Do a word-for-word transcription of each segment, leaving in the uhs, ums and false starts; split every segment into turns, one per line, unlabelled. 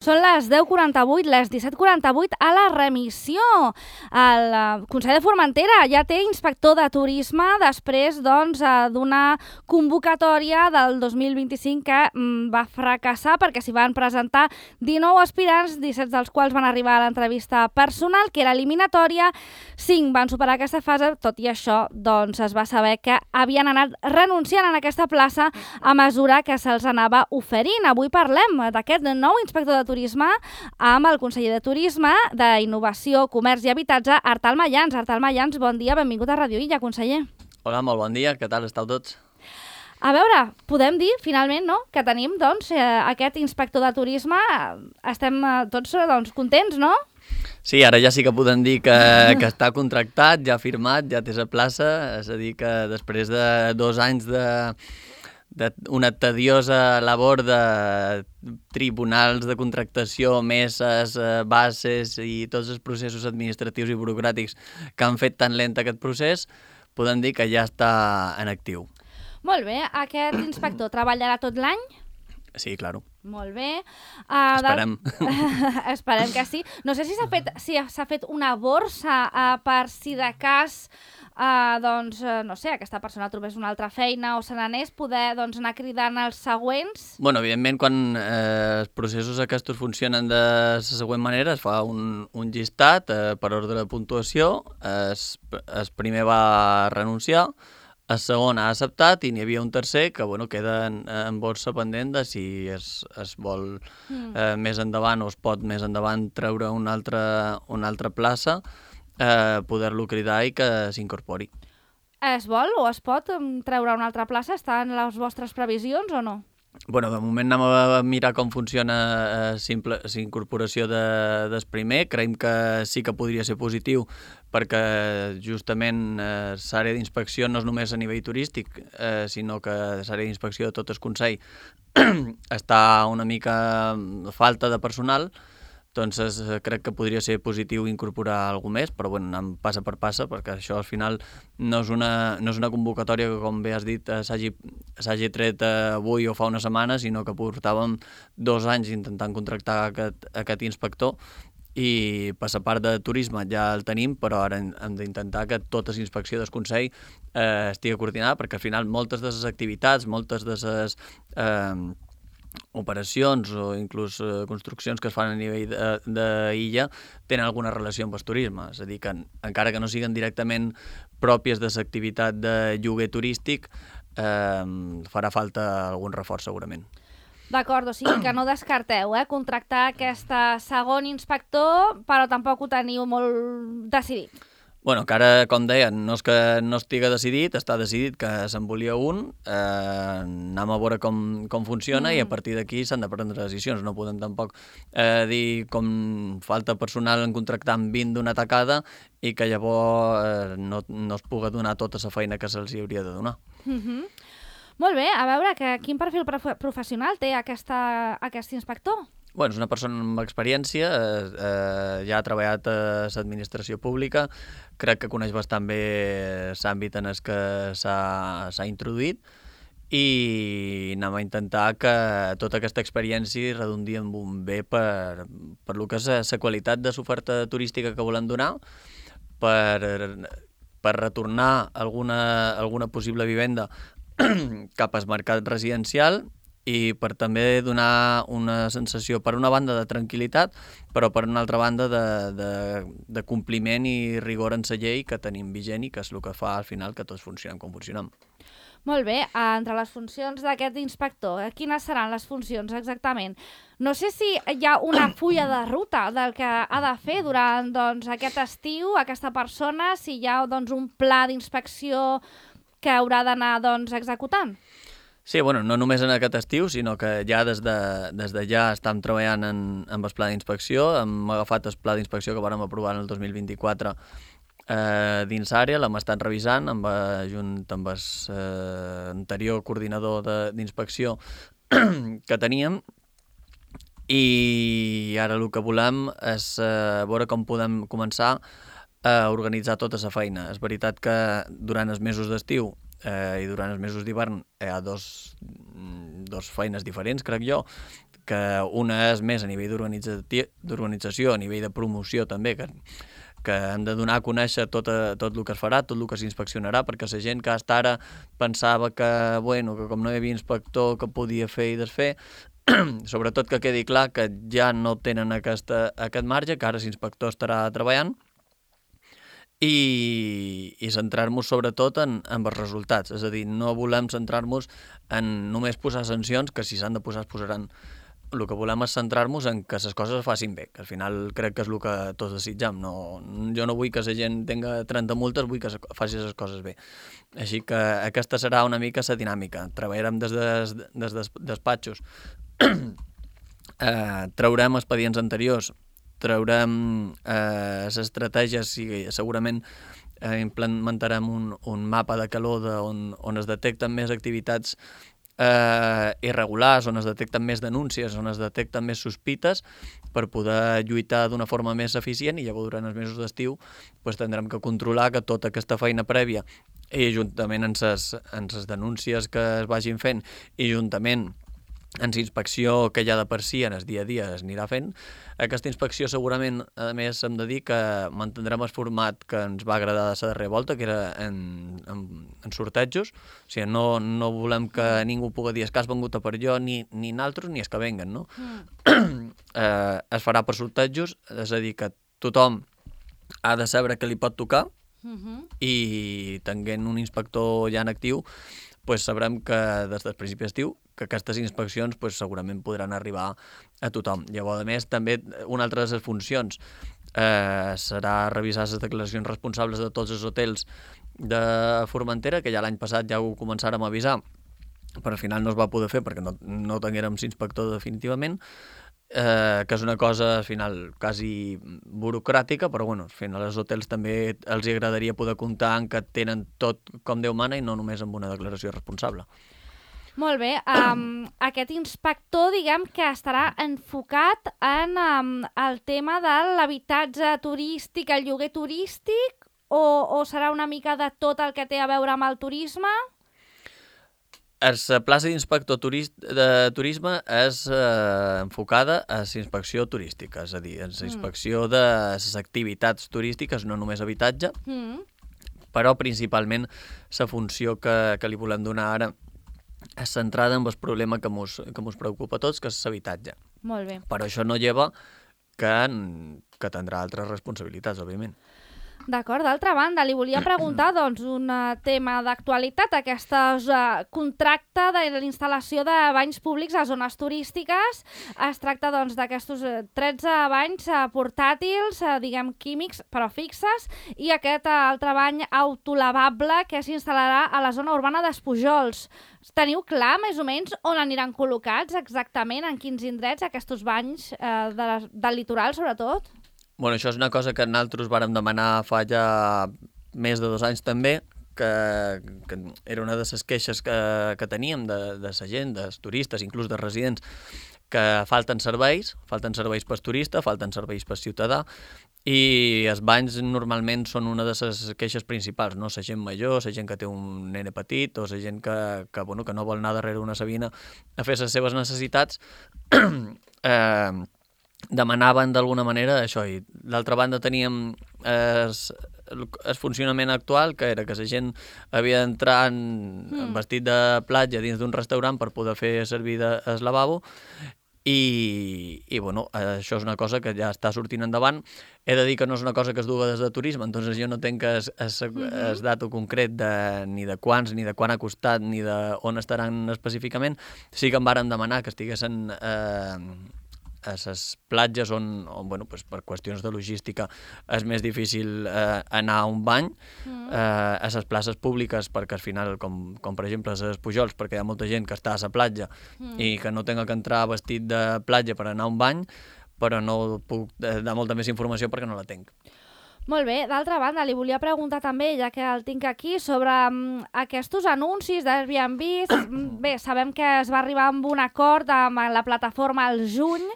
Són les deu quaranta-vuit, les disset quaranta-vuit a la remissió. El Consell de Formentera ja té inspector de turisme després doncs, d'una convocatòria del dos mil vint-i-cinc que mm, va fracassar perquè s'hi van presentar dinou aspirants, disset dels quals van arribar a l'entrevista personal, que era eliminatòria. cinc van superar aquesta fase, tot i això doncs, es va saber que havien anat renunciant en aquesta plaça a mesura que se'ls anava oferint. Avui parlem d'aquest nou inspector de turisme amb el conseller de Turisme, d'Innovació, Comerç i Habitatge, Artal Mayans. Artal Mayans, bon dia, benvingut a Radio Illa, conseller.
Hola, molt bon dia, què tal esteu tots?
A veure, podem dir, finalment, no?, que tenim doncs, eh, aquest inspector de turisme. Estem eh, tots doncs, contents, no?
Sí, ara ja sí que podem dir que, que està contractat, ja firmat, ja té la plaça, és a dir, que després de dos anys de... d'una tediosa labor de tribunals de contractació, meses, bases i tots els processos administratius i burocràtics que han fet tan lent aquest procés, podem dir que ja està en actiu.
Molt bé, aquest inspector treballarà tot l'any?
Sí, claro.
Molt bé. Uh,
Esperem.
De... Esperem que sí. No sé si s'ha fet, si s'ha fet una borsa uh, per si de cas uh, doncs, uh, no sé, aquesta persona trobés una altra feina o se n'anés, poder doncs, anar cridant els següents.
Bueno, evidentment, quan eh, els processos aquests funcionen de la següent manera, es fa un, un llistat eh, per ordre de puntuació, es, es primer va renunciar, el segon ha acceptat i n'hi havia un tercer que bueno, queda en, en borsa pendent de si es, es vol mm. eh, més endavant o es pot més endavant treure una altra, una altra plaça, eh, poder-lo cridar i que s'incorpori.
Es vol o es pot treure una altra plaça? Està en les vostres previsions o no?
Bueno, de moment anem a mirar com funciona eh, simple, la incorporació de, del primer. Creiem que sí que podria ser positiu perquè justament eh, l'àrea d'inspecció no és només a nivell turístic, eh, sinó que l'àrea d'inspecció de tot el Consell està una mica falta de personal. Doncs crec que podria ser positiu incorporar algú més, però bueno, anem passa per passa, perquè això al final no és una, no és una convocatòria que, com bé has dit, s'hagi tret avui o fa una setmana, sinó que portàvem dos anys intentant contractar aquest, aquest inspector i per la part de turisme ja el tenim, però ara hem d'intentar que tota la inspecció del Consell eh, estigui coordinada, perquè al final moltes de les activitats, moltes de les... Eh, operacions o inclús eh, construccions que es fan a nivell d'illa tenen alguna relació amb el turisme, és a dir, que encara que no siguin directament pròpies de l'activitat de lloguer turístic, eh, farà falta algun reforç segurament.
D'acord, o sigui que no descarteu eh, contractar aquest segon inspector, però tampoc ho teniu molt decidit.
Bueno, encara, com deia, no és que no estigui decidit, està decidit que se'n volia un, eh, anem a veure com, com funciona mm. i a partir d'aquí s'han de prendre decisions. No podem tampoc eh, dir com falta personal en contractar amb vint d'una tacada i que llavors eh, no, no es pugui donar tota la feina que se'ls hauria de donar.
Mm-hmm. Molt bé, a veure, que, quin perfil prof- professional té aquesta, aquest inspector?
Bueno, és una persona amb experiència, eh, eh, ja ha treballat a l'administració pública, crec que coneix bastant bé l'àmbit en el que s'ha introduït i anem a intentar que tota aquesta experiència redundi en un bé per, per lo que és la qualitat de l'oferta turística que volem donar, per, per retornar alguna, alguna possible vivenda cap al mercat residencial i per també donar una sensació, per una banda, de tranquil·litat, però per una altra banda de, de, de compliment i rigor en la llei que tenim vigent i que és el que fa al final que tots funcionem com funcionem.
Molt bé, entre les funcions d'aquest inspector, quines seran les funcions exactament? No sé si hi ha una fulla de ruta del que ha de fer durant doncs, aquest estiu, aquesta persona, si hi ha doncs, un pla d'inspecció que haurà d'anar doncs, executant.
Sí, bueno, no només en aquest estiu, sinó que ja des de, des de ja estem treballant en, en el pla d'inspecció. Hem agafat el pla d'inspecció que vam aprovar en el dos mil vint-i-quatre eh, dins l'àrea, l'hem estat revisant amb, junt amb l'anterior eh, coordinador d'inspecció que teníem i ara el que volem és eh, veure com podem començar a organitzar tota la feina. És veritat que durant els mesos d'estiu eh, i durant els mesos d'hivern hi ha dos, dos feines diferents, crec jo, que una és més a nivell d'organització, a nivell de promoció també, que que hem de donar a conèixer tot, a, tot el que es farà, tot el que s'inspeccionarà, perquè la gent que hasta ara pensava que, bueno, que com no hi havia inspector que podia fer i desfer, sobretot que quedi clar que ja no tenen aquesta, aquest marge, que ara l'inspector estarà treballant, i, i centrar-nos sobretot en, en els resultats. És a dir, no volem centrar-nos en només posar sancions, que si s'han de posar es posaran. El que volem és centrar-nos en que les coses es facin bé, que al final crec que és el que tots desitjam. No, jo no vull que la gent tinga trenta multes, vull que faci les coses bé. Així que aquesta serà una mica la dinàmica. Treballarem des, des, des dels despatxos, eh, traurem expedients anteriors, traurem eh, les estratègies i segurament eh, implementarem un, un mapa de calor de on, on es detecten més activitats eh, irregulars, on es detecten més denúncies, on es detecten més sospites, per poder lluitar d'una forma més eficient, i llavors durant els mesos d'estiu pues, tindrem que controlar que tota aquesta feina prèvia i juntament amb les, amb les denúncies que es vagin fent i juntament en la inspecció que ja de per si en el dia a dia es anirà fent. Aquesta inspecció segurament, a més, hem de dir que mantindrem el format que ens va agradar de la darrera volta, que era en, en, en sortejos. O sigui, no, no volem que ningú pugui dir que has vengut a per jo, ni, ni naltros, ni els que venguen, no? Mm. eh, es farà per sortejos, és a dir, que tothom ha de saber què li pot tocar, mm-hmm. i tenint un inspector ja en actiu, pues sabrem que des del principi d'estiu que aquestes inspeccions pues, segurament podran arribar a tothom. Llavors, a més, també una altra de les funcions eh, serà revisar les declaracions responsables de tots els hotels de Formentera, que ja l'any passat ja ho començàrem a avisar, però al final no es va poder fer perquè no, no tinguérem inspector definitivament, eh, que és una cosa al final quasi burocràtica, però bueno, al final als hotels també els agradaria poder comptar en que tenen tot com Déu mana i no només amb una declaració responsable.
Molt bé. Um, aquest inspector, diguem que estarà enfocat en um, el tema de l'habitatge turístic, el lloguer turístic, o, o serà una mica de tot el que té a veure amb el turisme?
La plaça d'inspector de turisme és eh, enfocada a la inspecció turística, és a dir, a la inspecció mm. de les activitats turístiques, no només habitatge, mm. però principalment la funció que, que li volem donar ara és centrada en el problema que mos, que mos preocupa a tots, que és l'habitatge.
Molt bé.
Però això no lleva que, que tindrà altres responsabilitats, òbviament.
D'acord, d'altra banda, li volia preguntar doncs, un tema d'actualitat, aquest uh, contracte de l'instal·lació de banys públics a zones turístiques. Es tracta doncs, d'aquests tretze banys uh, portàtils, uh, diguem químics, però fixes, i aquest uh, altre bany autolavable que s'instal·larà a la zona urbana d'Espujols. Teniu clar, més o menys, on aniran col·locats exactament, en quins indrets, aquests banys uh, de la, del litoral, sobretot?
Bueno, això és una cosa que nosaltres vàrem demanar fa ja més de dos anys també, que, que era una de les queixes que, que teníem de, de la gent, dels turistes, inclús de residents, que falten serveis, falten serveis per turista, falten serveis per ciutadà, i els banys normalment són una de les queixes principals, no? La gent major, la gent que té un nene petit, o la gent que, que, bueno, que no vol anar darrere una sabina a fer les seves necessitats, eh, demanaven d'alguna manera això, i d'altra banda teníem el, el funcionament actual, que era que la gent havia d'entrar en, mm. en vestit de platja dins d'un restaurant per poder fer servir de, el lavabo, i, i bueno, això és una cosa que ja està sortint endavant. He de dir que no és una cosa que es duga des de turisme, entonces jo no tenc el mm-hmm. dato concret de, ni de quants, ni de quan ha costat, ni de on estaran específicament. Sí que em vàrem demanar que estiguessin eh, a les platges on, on bueno, pues, per qüestions de logística és més difícil eh, anar a un bany, mm. eh, a les places públiques, perquè al final, com, com per exemple a les Pujols, perquè hi ha molta gent que està a la platja mm. i que no tenga que entrar vestit de platja per anar a un bany, però no puc dar molta més informació perquè no la tenc.
Molt bé, d'altra banda, li volia preguntar també, ja que el tinc aquí, sobre um, aquests anuncis d'Airbnb. Bé, sabem que es va arribar amb un acord amb la plataforma al juny.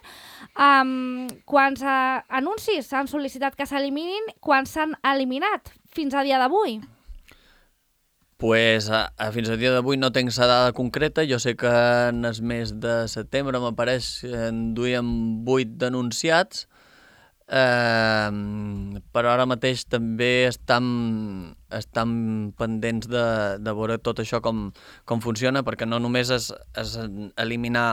Um, quants uh, anuncis s'han sol·licitat que s'eliminin? Quants s'han eliminat fins a dia d'avui?
Pues a, a fins al dia d'avui no tinc la dada concreta. Jo sé que en el mes de setembre, m'apareix, en duíem vuit denunciats, eh, però ara mateix també estan, estan pendents de, de veure tot això com, com funciona, perquè no només és, és eliminar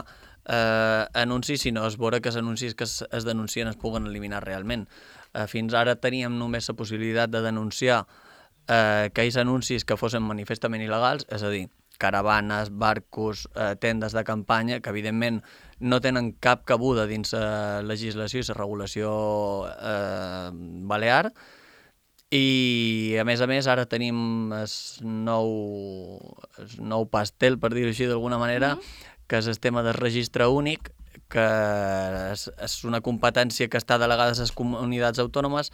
eh, anuncis, sinó és veure que els anuncis que es, es denuncien es puguen eliminar realment. Eh, fins ara teníem només la possibilitat de denunciar Eh, aquells anuncis que fossin manifestament il·legals, és a dir, caravanes, barcos, eh, tendes de campanya, que evidentment no tenen cap cabuda dins la legislació i la regulació eh, balear, i a més a més ara tenim el nou, el nou pastel, per dir-ho així d'alguna manera, mm-hmm. que és el tema del registre únic, que és, és una competència que està delegada a les comunitats autònomes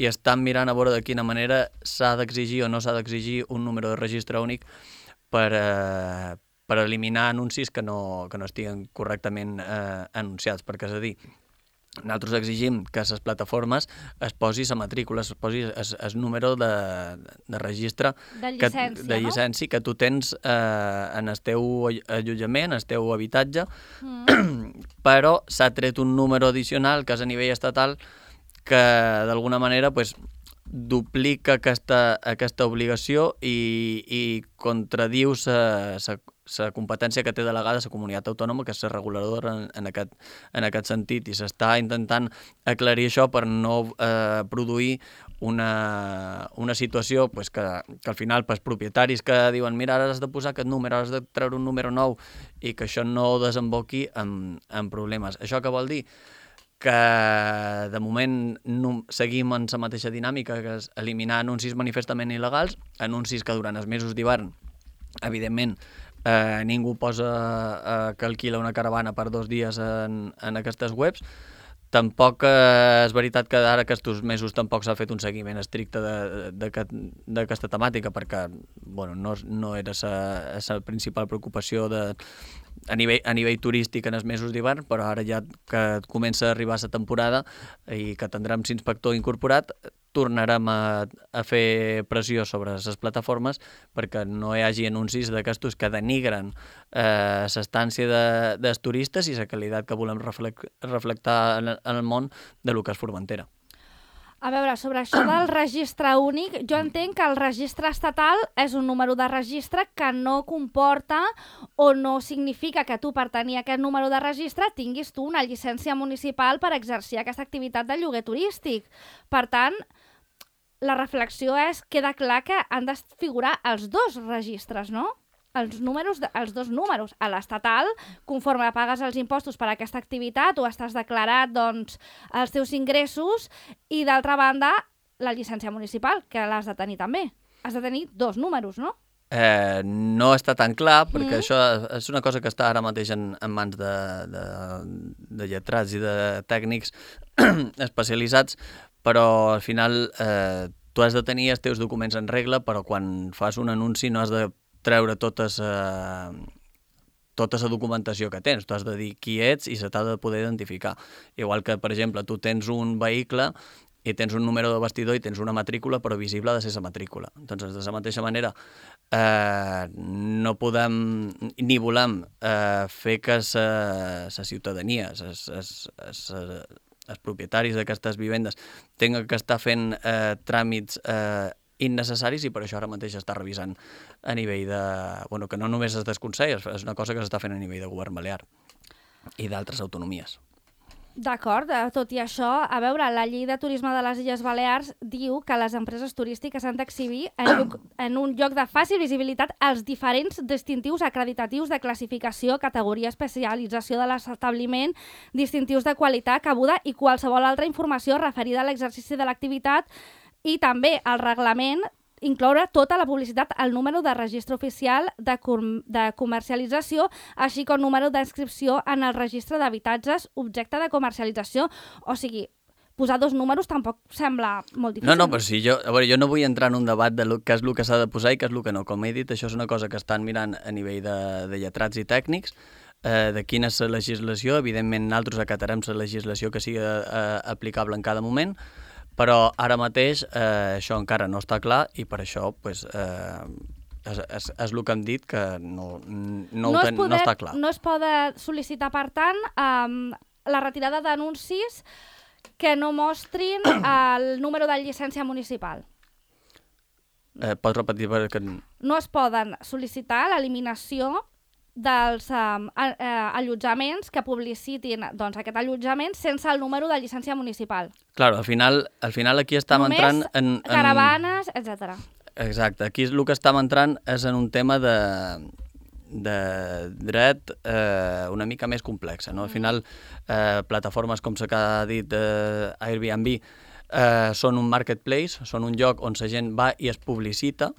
i estan mirant a veure de quina manera s'ha d'exigir o no s'ha d'exigir un número de registre únic per, eh, per eliminar anuncis que no, que no estiguen correctament eh, anunciats, perquè és a dir, nosaltres exigim que a les plataformes es posi la matrícula, es posi el número de, de registre
de llicència,
que, de llicència
no?
que tu tens eh, en el teu allotjament, en el teu habitatge, mm. però s'ha tret un número addicional que és a nivell estatal que d'alguna manera pues, duplica aquesta, aquesta obligació i, i contradiu la competència que té delegada la comunitat autònoma, que és la reguladora en, en, aquest, en aquest sentit, i s'està intentant aclarir això per no eh, produir una, una situació pues, que, que al final pues, propietaris que diuen mira, ara has de posar aquest número, ara has de treure un número nou, i que això no desemboqui en, en problemes. Això què vol dir? Que de moment no, seguim en la mateixa dinàmica, que és eliminar anuncis manifestament il·legals, anuncis que durant els mesos d'hivern, evidentment, eh, ningú posa eh, que alquila una caravana per dos dies en, en aquestes webs. Tampoc eh, és veritat que ara aquests mesos tampoc s'ha fet un seguiment estricte d'aquesta temàtica, perquè bueno, no, no era la principal preocupació de, a, nivell, a nivell turístic en els mesos d'hivern, però ara ja que comença a arribar la temporada i que tindrem l'inspector incorporat, tornarem a, a fer pressió sobre les plataformes perquè no hi hagi anuncis d'aquestos que denigren eh, l'estància de, dels turistes i la qualitat que volem reflect, reflectar en, en el món de lo que és Formentera.
A veure, sobre això del registre únic, jo entenc que el registre estatal és un número de registre que no comporta o no significa que tu per tenir aquest número de registre tinguis tu una llicència municipal per exercir aquesta activitat de lloguer turístic. Per tant, la reflexió és, queda clar que han de figurar els dos registres, no? Els, números de, els dos números. A l'estatal, conforme pagues els impostos per a aquesta activitat o estàs declarat doncs, els teus ingressos, i d'altra banda, la llicència municipal, que l'has de tenir també. Has de tenir dos números, no?
Eh, no està tan clar, perquè mm. això és una cosa que està ara mateix en, en mans de, de, de lletrats i de tècnics especialitzats, però al final eh, tu has de tenir els teus documents en regla, però quan fas un anunci no has de treure totes, eh, tota la documentació que tens. Tu has de dir qui ets i se t'ha de poder identificar. Igual que, per exemple, tu tens un vehicle i tens un número de bastidor i tens una matrícula, però visible ha de ser la matrícula. Doncs, de la mateixa manera, eh, no podem ni volem eh, fer que la ciutadania, es, es, es, els propietaris d'aquestes vivendes tinguin que estar fent eh, tràmits eh, innecessaris, i per això ara mateix està revisant a nivell de... Bueno, que no només es desconsella, és una cosa que s'està fent a nivell de govern balear i d'altres autonomies.
D'acord, tot i això, a veure, la llei de turisme de les Illes Balears diu que les empreses turístiques han d'exhibir en, en un lloc de fàcil visibilitat els diferents distintius acreditatius de classificació, categoria, especialització de l'establiment, distintius de qualitat, cabuda i qualsevol altra informació referida a l'exercici de l'activitat, i també el reglament incloure tota la publicitat al número de registre oficial de, com de comercialització, així com número d'inscripció en el registre d'habitatges objecte de comercialització. O sigui, posar dos números tampoc sembla molt difícil.
No, no, però si jo, a veure, jo no vull entrar en un debat de lo, què és el que s'ha de posar i què és el que no. Com he dit, això és una cosa que estan mirant a nivell de, de lletrats i tècnics, eh, de quina és la legislació. Evidentment, nosaltres acatarem la legislació que sigui eh, aplicable en cada moment, però ara mateix eh, això encara no està clar i per això pues, eh, és, és, és el que hem dit, que no, no, no,
no,
ten,
poder,
no està clar.
No es pot sol·licitar, per tant, um, la retirada d'anuncis que no mostrin el número de llicència municipal.
Eh, pots repetir? Perquè...
No es poden sol·licitar l'eliminació dels um, a, a, allotjaments que publicitin doncs, aquest allotjament sense el número de llicència municipal.
Claro, al final, al final aquí estem
Només
entrant en... en...
caravanes, etcètera.
Exacte, aquí el que estem entrant és en un tema de, de dret eh, una mica més complexa, no? Al final, eh, plataformes com s'ha dit eh, Airbnb eh, són un marketplace, són un lloc on la gent va i es publicita,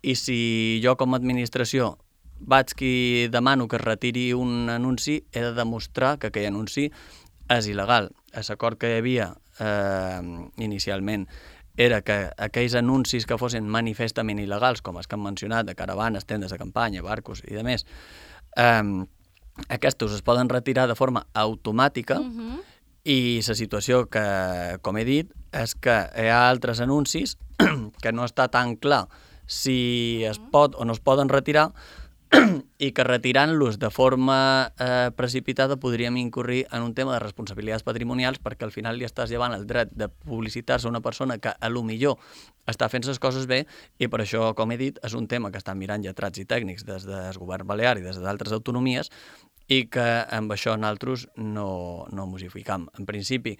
i si jo com a administració vaig qui demano que es retiri un anunci, he de demostrar que aquell anunci és il·legal. L'acord que hi havia eh, inicialment era que aquells anuncis que fossin manifestament il·legals, com els que hem mencionat, de caravanes, tendes de campanya, barcos i de més, eh, aquests es poden retirar de forma automàtica, uh-huh. I la situació que, com he dit, és que hi ha altres anuncis que no està tan clar si es pot o no es poden retirar, i que retirant-los de forma eh, precipitada podríem incurrir en un tema de responsabilitats patrimonials, perquè al final li estàs llevant el dret de publicitar-se a una persona que a lo millor està fent les coses bé, i per això, com he dit, és un tema que estan mirant lletrats i tècnics des del govern balear i des d'altres autonomies, i que amb això nosaltres no, no mos hi ficam. En principi,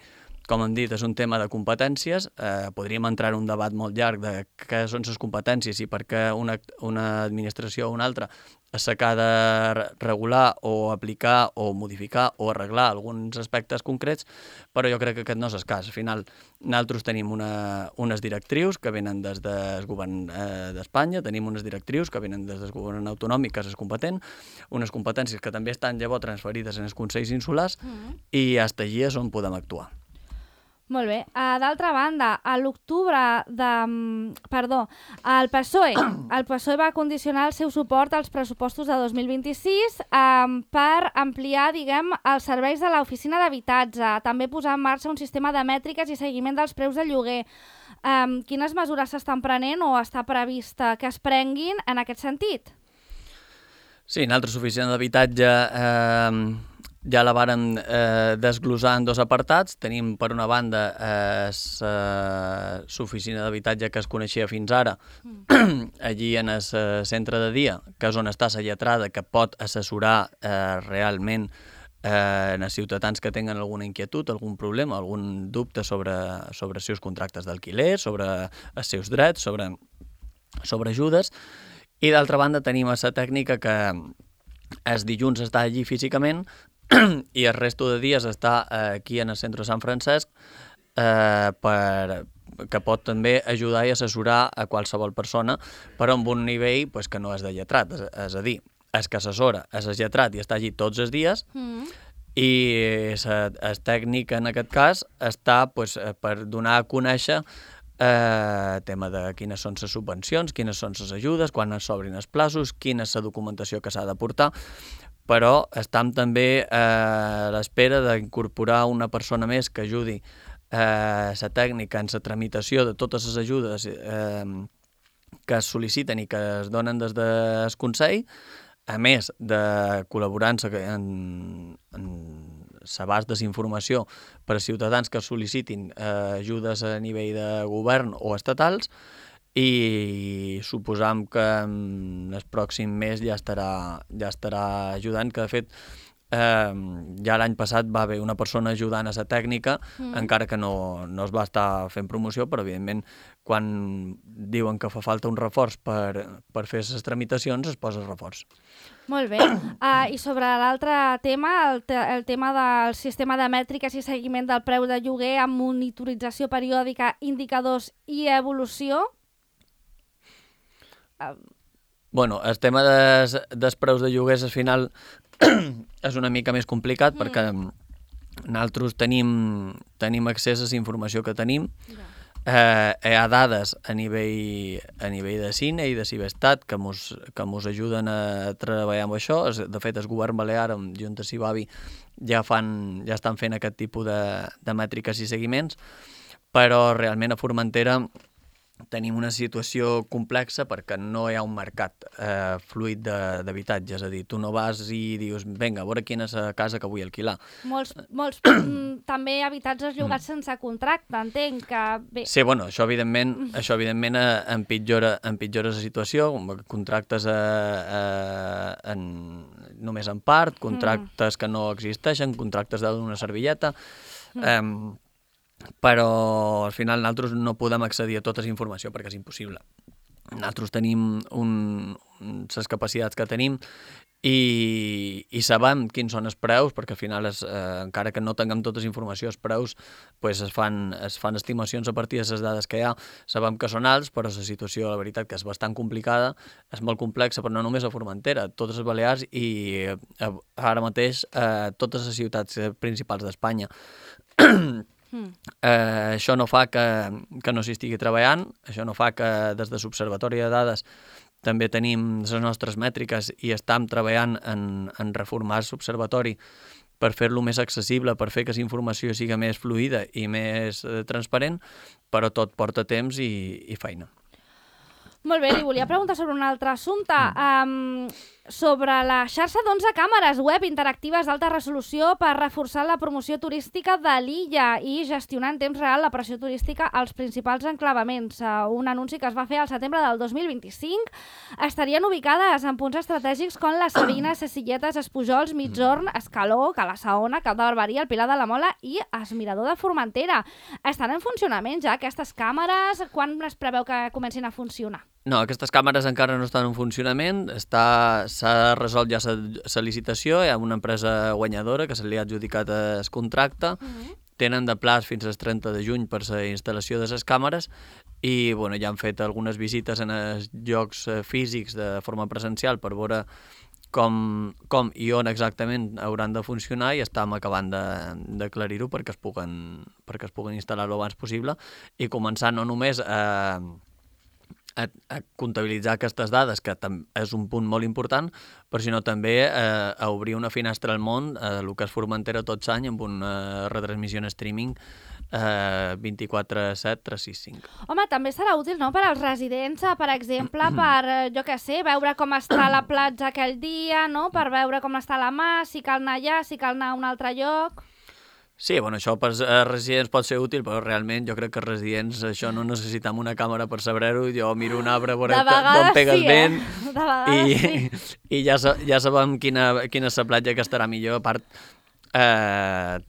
com hem dit, és un tema de competències, eh, podríem entrar en un debat molt llarg de què són les competències i per què una, una administració o una altra s'ha de regular o aplicar o modificar o arreglar alguns aspectes concrets, però jo crec que aquest no és el cas. Al final, nosaltres tenim una, unes directrius que venen des del govern eh, d'Espanya, tenim unes directrius que venen des del govern autonòmic, que és competent, unes competències que també estan llavors transferides en els consells insulars, mm. i fins allí és on podem actuar.
Molt bé. Uh, D'altra banda, a l'octubre de... Perdó, el P S O E, el P S O E va condicionar el seu suport als pressupostos de dos mil vint-i-sis um, per ampliar, diguem, els serveis de l'oficina d'habitatge, també posar en marxa un sistema de mètriques i seguiment dels preus de lloguer. Um, quines mesures s'estan prenent o està prevista que es prenguin en aquest sentit?
Sí, nosaltres, l'oficina d'habitatge... Eh... ja la vàrem eh, desglosar en dos apartats. Tenim, per una banda, l'oficina eh, d'habitatge que es coneixia fins ara, mm. allí en el centre de dia, que és on està la lletrada, que pot assessorar eh, realment eh, els ciutadans que tenen alguna inquietud, algun problema, algun dubte sobre, sobre els seus contractes d'alquiler, sobre els seus drets, sobre, sobre ajudes. I d'altra banda tenim la tècnica que els dilluns està allí físicament, i el resto de dies està aquí en el centre de Sant Francesc, eh, per, que pot també ajudar i assessorar a qualsevol persona, però amb un nivell pues, que no és de lletrat, és, és a dir, és que assessora, és el lletrat i està allí tots els dies, mm. i el tècnic en aquest cas està pues, per donar a conèixer eh, tema de quines són les subvencions, quines són les ajudes, quan es s'obrin els plaços, quina és la documentació que s'ha de portar, però estem també eh, a l'espera d'incorporar una persona més que ajudi eh, la tècnica en la tramitació de totes les ajudes eh, que es sol·liciten i que es donen des del Consell, a més de col·laborar en, en l'abast de informació per a ciutadans que sol·licitin eh, ajudes a nivell de govern o estatals, i suposam que en el pròxim mes ja estarà, ja estarà ajudant, que de fet eh, ja l'any passat va haver una persona ajudant a la tècnica, mm. encara que no, no es va estar fent promoció, però evidentment quan diuen que fa falta un reforç per, per fer les tramitacions es posa el reforç.
Molt bé. Uh, I sobre l'altre tema, el, te el tema del sistema de mètriques i seguiment del preu de lloguer amb monitorització periòdica, indicadors i evolució,
Bueno, el tema dels, dels preus de lloguers al final és una mica més complicat, mm. perquè nosaltres tenim, tenim accés a la informació que tenim. Yeah. Eh, hi ha dades a nivell, a nivell de Cine i de Cibestat que mos, que mos ajuden a treballar amb això. De fet, el govern balear amb Junta Cibavi ja, fan, ja estan fent aquest tipus de, de mètriques i seguiments, però realment a Formentera tenim una situació complexa perquè no hi ha un mercat eh, fluid d'habitatge, és a dir, tu no vas i dius, vinga, a veure quina és la casa que vull alquilar.
Molts, molts també habitatges llogats mm. sense contracte, entenc que... Bé.
Sí, bueno, això evidentment, mm. això evidentment empitjora, empitjora la situació, contractes a, a, en, només en part, contractes mm. que no existeixen, contractes d'una servilleta... Mm. Eh, però al final nosaltres no podem accedir a tota la informació perquè és impossible. Nosaltres tenim un, les capacitats que tenim i, i sabem quins són els preus, perquè al final, és, eh, encara que no tinguem tota la informació, els preus pues, es, fan, es fan estimacions a partir de les dades que hi ha. Sabem que són alts, però la situació, la veritat, que és bastant complicada, és molt complexa, però no només a Formentera, totes les Balears i eh, ara mateix eh, totes les ciutats principals d'Espanya. Mm. Eh, això no fa que, que no s'hi estigui treballant, això no fa que des de l'Observatori de Dades també tenim les nostres mètriques i estem treballant en, en reformar l'Observatori per fer-lo més accessible, per fer que la informació sigui més fluida i més eh, transparent, però tot porta temps i, i feina.
Molt bé, li volia preguntar sobre un altre assumpte. Um, sobre la xarxa d'onze càmeres web interactives d'alta resolució per reforçar la promoció turística de l'illa i gestionar en temps real la pressió turística als principals enclavaments. Uh, un anunci que es va fer al setembre del dos mil vint-i-cinc. Estarien ubicades en punts estratègics com la Savina, Ses Silletes, Espujols, Migjorn, Escaló, Cala Saona, Cap de Barberia, el Pilar de la Mola i el Mirador de Formentera. Estan en funcionament ja aquestes càmeres? Quan es preveu que comencin a funcionar?
No, aquestes càmeres encara no estan en funcionament, està, s'ha resolt ja la licitació, hi ha una empresa guanyadora que se li ha adjudicat el contracte, uh-huh. Tenen de plaç fins al trenta de juny per la instal·lació de les càmeres i bueno, ja han fet algunes visites en els llocs físics de forma presencial per veure com, com i on exactament hauran de funcionar i estem acabant d'aclarir-ho perquè es puguen, perquè es puguen instal·lar lo abans possible i començar no només a... A, a comptabilitzar aquestes dades, que és un punt molt important, però sinó també eh, a obrir una finestra al món, eh, el que és Formentera tot l'any, amb una retransmissió en streaming eh, vint-i-quatre set, tres sis cinc.
Home, també serà útil, no?, per als residents, per exemple, per, jo què sé, veure com està la platja aquell dia, no?, per veure com està la mà, si cal anar allà, si cal anar a un altre lloc...
Sí, bueno, això per a residents pot ser útil, però realment jo crec que residents això no necessitem una càmera per saber-ho. Jo miro un arbre, veure d'on pegues
sí,
vent
eh? De vegades
i,
sí.
i ja, ja sabem quina, quina és la platja que estarà millor. A part, eh,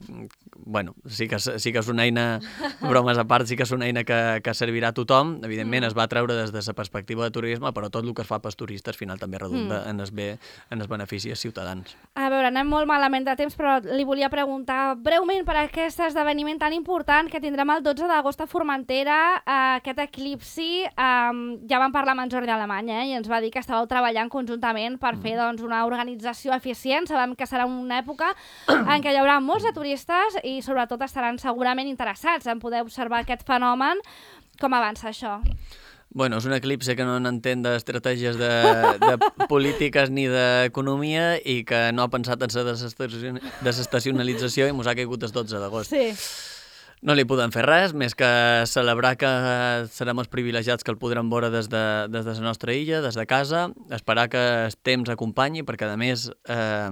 bueno, sí que, sí que és una eina, bromes a part, sí que és una eina que, que servirà a tothom. Evidentment mm. es va treure des de la perspectiva de turisme, però tot el que es fa pels turistes al final també redunda mm. en, el bé, en els beneficis ciutadans.
A veure, anem molt malament de temps, però li volia preguntar breument per aquest esdeveniment tan important que tindrem el dotze d'agost a Formentera, eh, aquest eclipsi. Eh, ja vam parlar amb en Jordi Alemany eh, i ens va dir que estàveu treballant conjuntament per mm. fer doncs, una organització eficient. Sabem que serà una època en què hi haurà molts de turistes i sobretot estaran segurament interessats en poder observar aquest fenomen. Com avança això?
Bueno, és un eclipse que no n'entén d'estratègies de, de polítiques ni d'economia i que no ha pensat en la desestacionalització i mos ha caigut el dotze d'agost.
Sí.
No li podem fer res, més que celebrar que serem els privilegiats que el podrem veure des de, des de la nostra illa, des de casa, esperar que el temps acompanyi, perquè a més eh,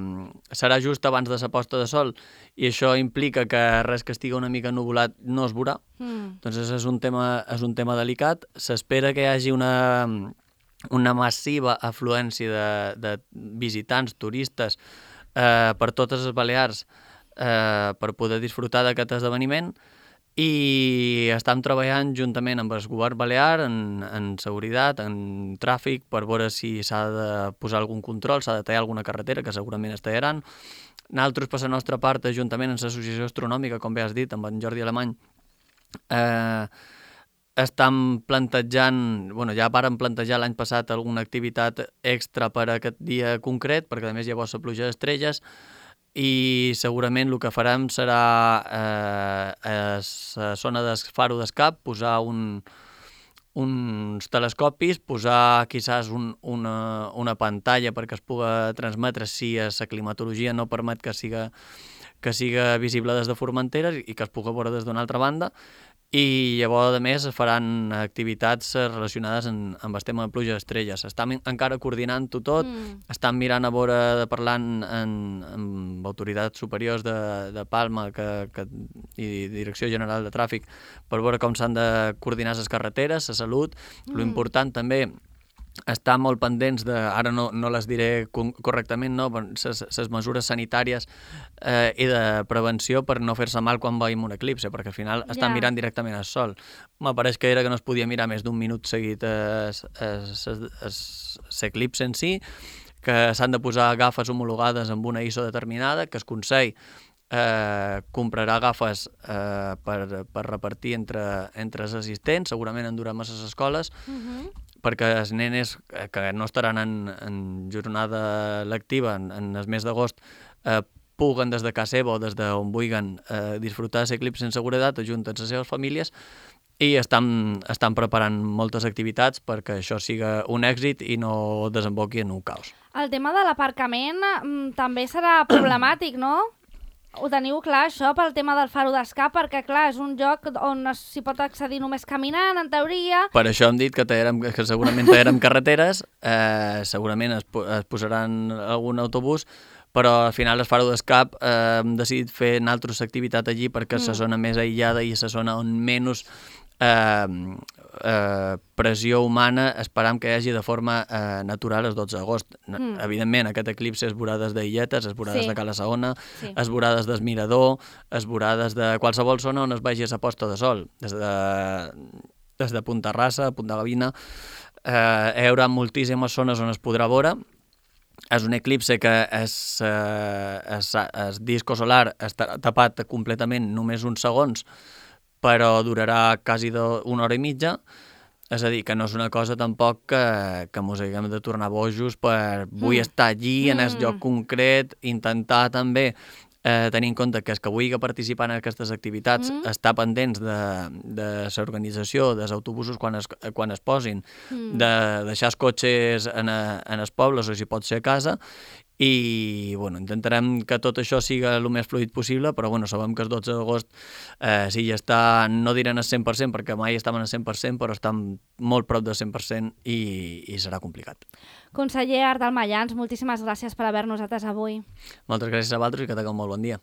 serà just abans de la posta de sol i això implica que res que estigui una mica nuvolat no es veurà. Mm. Doncs és un tema, és un tema delicat. S'espera que hi hagi una, una massiva afluència de, de visitants, turistes, eh, per totes les Balears eh, per poder disfrutar d'aquest esdeveniment. I estem treballant juntament amb el govern balear en, en seguretat, en tràfic, per veure si s'ha de posar algun control, s'ha de tallar alguna carretera, que segurament es tallaran. Nosaltres, per la nostra part, juntament amb l'Associació Astronòmica, com bé has dit, amb en Jordi Alemany, eh, estem plantejant, bueno, ja vàrem plantejar l'any passat alguna activitat extra per a aquest dia concret, perquè a més llavors la pluja d'estrelles, i segurament el que farem serà eh, a la zona del faro d'escap posar un, uns telescopis, posar quizás un, una, una pantalla perquè es pugui transmetre si la climatologia no permet que siga, que siga visible des de Formentera i que es pugui veure des d'una altra banda i llavors, a més, es faran activitats relacionades amb, amb el tema de pluja d'estrelles. Estan encara coordinant-ho tot, mm. estan mirant a veure, de parlant en, amb autoritats superiors de, de Palma que, que, i Direcció General de Tràfic per veure com s'han de coordinar les carreteres, la salut. Mm. Lo important també estar molt pendents de, ara no, no les diré correctament, no, les mesures sanitàries eh, i de prevenció per no fer-se mal quan veiem un eclipse, perquè al final estan yeah. mirant directament al sol. M'apareix que era que no es podia mirar més d'un minut seguit l'eclipse en si, que s'han de posar gafes homologades amb una I S O determinada, que es consell eh, comprarà gafes eh, per, per repartir entre, entre els assistents, segurament en durar massa les escoles, uh-huh. perquè els nenes que no estaran en, en jornada lectiva en, en el mes d'agost eh, puguen des de casa seva o des d'on vulguin eh, disfrutar l'eclipse en seguretat, ajunten les seves famílies i estan, estan preparant moltes activitats perquè això siga un èxit i no desemboqui en un caos.
El tema de l'aparcament mm, també serà problemàtic, no? Ho teniu clar, això, pel tema del faro d'escap, perquè, clar, és un lloc on s'hi pot accedir només caminant, en teoria.
Per això hem dit que, tallarem, que segurament tallarem carreteres, eh, segurament es, es posaran algun autobús, però al final el faro d'escap eh, hem decidit fer una altra activitat allí perquè és mm. la zona més aïllada i és la zona on menys eh, eh, pressió humana esperam que hi hagi de forma eh, natural el dotze d'agost. Mm. Evidentment, aquest eclipse es veurà des d'Illetes, es veurà sí. des de Cala Saona, sí. es veurà des del Mirador, es veurà des de qualsevol zona on es vegi la posta de sol, des de, des de Punta Rassa, Punta Gavina. Eh, hi haurà moltíssimes zones on es podrà veure. És un eclipse que és, eh, és, és disco solar està tapat completament només uns segons, però durarà quasi de una hora i mitja, és a dir, que no és una cosa tampoc que, que mos haguem de tornar bojos per vull mm. estar allí, en el lloc concret, intentar també eh, tenir en compte que els que vulgui participar en aquestes activitats mm. està pendents de, de l'organització dels autobusos quan es, quan es posin, mm. de deixar els cotxes en, a, en els pobles o si pot ser a casa, i bueno, intentarem que tot això siga el més fluid possible, però bueno, sabem que el dotze d'agost eh, sí, ja està, no diran el cent per cent, perquè mai estaven al cent per cent, però estan molt prop del cent per cent i, i serà complicat.
Conseller Ardal Mayans, moltíssimes gràcies per haver-nos atès avui.
Moltes gràcies a vosaltres i que tingueu un molt bon dia.